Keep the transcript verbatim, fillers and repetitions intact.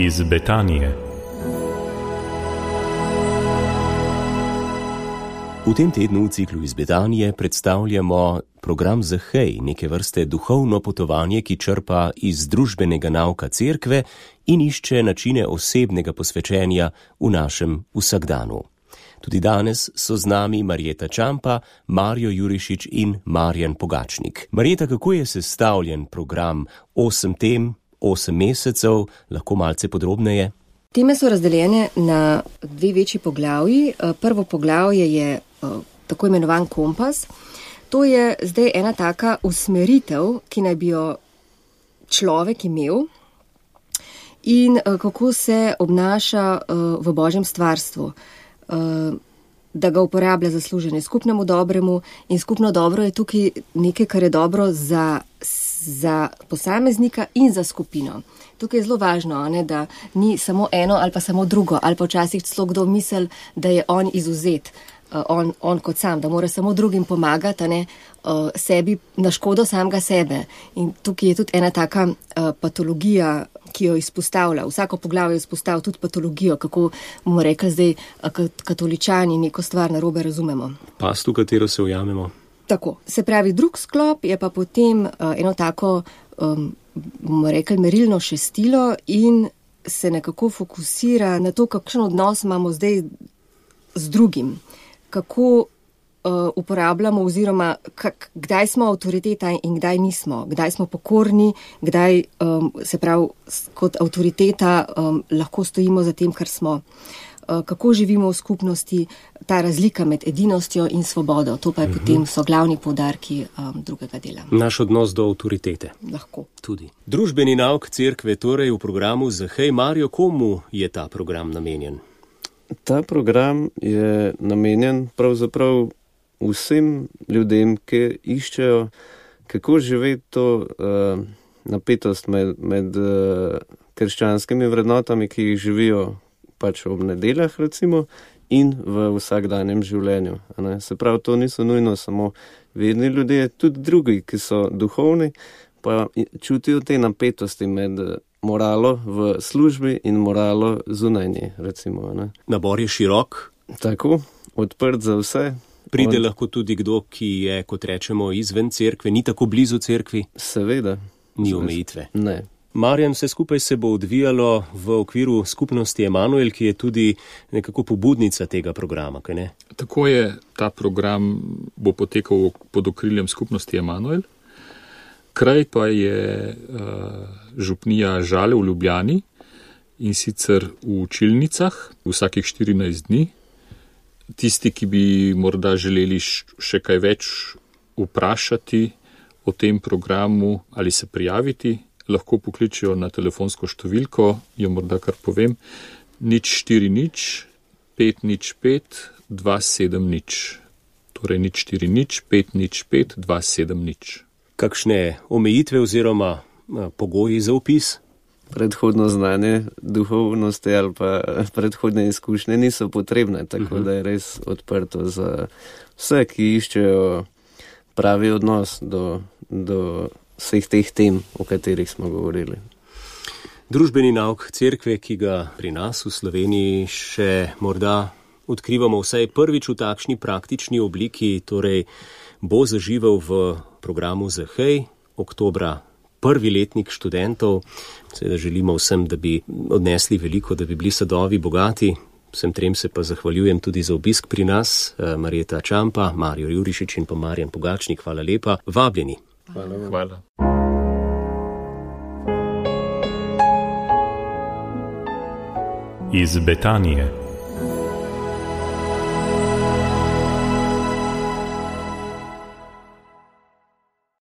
Iz Betanije. V tem tednu v ciklu Iz Betanije predstavljamo program Zahej, neke vrste duhovno potovanje, ki črpa iz družbenega nauka cerkve in išče načine osebnega posvečenja v našem vsakdanu. Tudi danes so z nami Marjeta Čampa, Marjo Jurišič in Marjan Pogačnik. Marjeta, kako je sestavljen program? Osem tem, osem mesecev, lahko malce podrobneje? Teme so razdeljene na dve večji poglavji. Prvo poglavje je tako imenovan kompas. To je zdaj ena taka usmeritev, ki naj bi jo človek imel in kako se obnaša v Božjem stvarstvu. Da ga uporablja za služenje skupnemu dobremu in skupno dobro je tukaj nekaj, kar je dobro za, za posameznika in za skupino. Tukaj je zelo važno, ne, da ni samo eno ali pa samo drugo, ali pa včasih celo kdo misli, da je on izuzet, on, on kot sam, da mora samo drugim pomagati, ne, sebi na škodo samega sebe. In tukaj je tudi ena taka patologija, ki jo izpostavlja. Vsako poglavje izpostavlja tudi patologijo, kako bomo rekli zdaj katoličani neko stvar narobe razumemo. Past, v katero se ujamemo. Tako. Se pravi, drug sklop je pa potem uh, eno tako, um, bomo rekli, merilno šestilo in se nekako fokusira na to, kakšen odnos imamo zdaj z drugim. Kako Uh, uporabljamo oziroma kak, kdaj smo avtoriteta in kdaj nismo, kdaj smo pokorni, kdaj um, se pravi kot avtoriteta um, lahko stojimo za tem, kar smo. Uh, kako živimo v skupnosti, ta razlika med edinostjo in svobodo, to pa je uh-huh. potem so glavni poudarki um, drugega dela. Naš odnos do avtoritete. Lahko. Tudi. Družbeni nauk cerkve, torej v programu Zahej. Marjo, komu je ta program namenjen? Ta program je namenjen pravzaprav vsem ljudem, ki iščejo, kako živeti to uh, napetost med, med uh, krščanskimi vrednotami, ki jih živijo pač ob nedeljah, recimo, in v vsakdanjem življenju. Ne? Se pravi, to niso nujno samo vedni ljudje, tudi drugi, ki so duhovni, pa čutijo te napetosti med moralo v službi in moralo zunaj nje, recimo. Ne? Nabor je širok. Tako, odprt za vse. Pride On... lahko tudi kdo, ki je, kot rečemo, izven cerkve, ni tako blizu cerkvi? Seveda. Ni omejitve. Ne. Marjan, vse skupaj se bo odvijalo v okviru skupnosti Emanuel, ki je tudi nekako pobudnica tega programa, kaj ne? Tako je, ta program bo potekal pod okriljem skupnosti Emanuel. Kraj pa je uh, župnija Žale v Ljubljani in sicer v Čilnicah vsakih štirinajst dni. Tisti, ki bi morda želeli še kaj več vprašati o tem programu ali se prijaviti, lahko pokličijo na telefonsko številko, jo morda kar povem, nič štiri nič, pet nič pet, dva sedem nič. Torej nič štiri nič, pet nič pet, dva sedem nič. Kakšne omejitve oziroma pogoji za vpis? Predhodno znanje, duhovnosti ali pa predhodne izkušnje niso potrebne, tako uh-huh. da je res odprto za vse, ki iščejo pravi odnos do, do vseh teh tem, o katerih smo govorili. Družbeni nauk cerkve, ki ga pri nas v Sloveniji še morda odkrivamo vsaj prvič v takšni praktični obliki, torej bo zaživel v programu Zahej, oktobra prvi letnik študentov. Seveda želimo vsem, da bi odnesli veliko, da bi bili sadovi bogati. Vsem trem se pa zahvaljujem tudi za obisk pri nas. Marjeta Čampa, Marjo Jurišič in pa Marjan Pogačnik, hvala lepa. Vabljeni. Hvala. Hvala. Iz Betanije.